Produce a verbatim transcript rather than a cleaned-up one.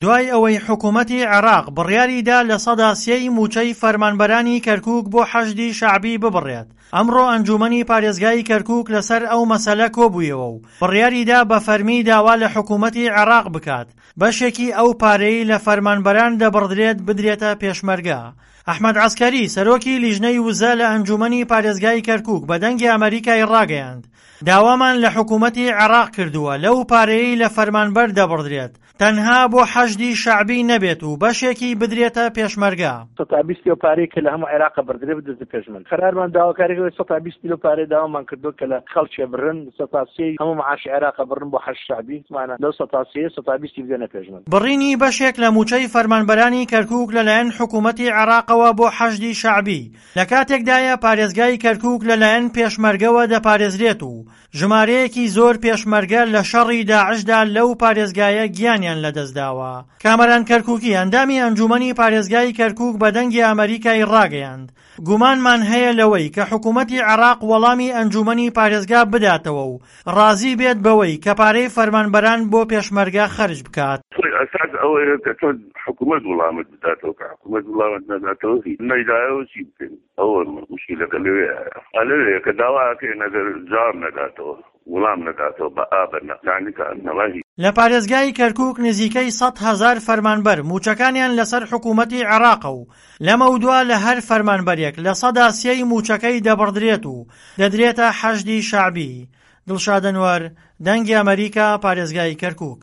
دوای ئەوەی حکومەتی عێراق بڕیاریدا لە سەدا سێی مووچەی فەرمانبەرانی کەرکوک بۆ حەشدی شەعبی ببڕێت، ئەمڕۆ ئەنجومەنی پارێزگای کەرکوک لەسەر ئەو مەسەلە کۆبوویەوە و بڕیاریدا بە فەرمی داوا لە حکومەتی عێراق بکات بەشێکی ئەو پارەی لە فەرمانبەران دەبڕدرێت بدرێتە پێشمەرگە. ئەحمەد عەسکەری سەرۆکی لیژنەی وزە لە ئەنجومەنی پارێزگای کەرکوک بە دەنگی ئەمەریکای ڕاگەیاند، داوامان لە حکومەتی عێراق کردووە لەو پارەیەی لە فەرمانبەر دەبڕدرێت تەنها بۆ حەشدی شەعبی نەبێت و بەشێکی بدرێتە پێشمەرگە. سەتا بیست لەو پارەی کە لە هەموو عێراق بڕدرێ بدرێتە پێشمەرگە. قەرارمان داواکاری کردووە سەتا بیست لەو پارەی داوامان کردووە کە لە خەڵکێ بڕن سەتا سێی هەموو معاشی عێراق بڕن بۆ حەشد شەعبی مانە لەو سەتا سێ سەتا بیستی بدەنە پێشمەرگە. بڕینی بەشێک لە مووچەی فەرمانبەرانی کەرکوک لەلایەن حکومەتی عێراقەوە بۆ حەشدی شەعبی لە کاتێکدایە پارێزگای کەرکوک لەلایەن پێشمەرگەوە دەپارێزرێت و ژمارەیەکی زۆر پێشمەرگە لە شەڕی داعشدا لەو پارێزگایە گیانیان لەدەستداوە. کامەران کەرکوکی ئەندامی ئەنجومەنی پارێزگای کەرکوک بە دەنگی ئەمەریکای ڕاگەیاند، گومانمان هەیە لەوەی کە حکومەتی عێراق وەڵامی ئەنجومەنی پارێزگا بداتەوە و ڕازی بێت بەوەی کە پارەی فەرمانبەران بۆ پێشمەرگە خەرج بکات. خۆی ئەساس ئەوەیە کە تۆ حکومەت وڵامت بداتەوە، کە حکومەت وڵامت نەداتەوە هیچ نەیدایەوە چی بکەین؟ ئەوە مشکلەکە لەوێیە، لەوێیە کە داوا ئەکەین ئەگەر جواب نەداتەوە وڵام نەداتەوە بە ئا بە نا یانی کە ئەنەما هیچ. لە پارێزگای کەرکوک نزیکەی سەد هەزار فەرمانبەر مووچەکانیان لەسەر حکومەتی عێراقە و لەمەودوا لە هەر فەرمانبەرێک لە سەدا سێی مووچەکەی دەبڕدرێت و دەدرێتە حەشدی شەعبی. دڵشاد ئەنوەر، دەنگی ئەمەریکا، پارێزگای کەرکوک.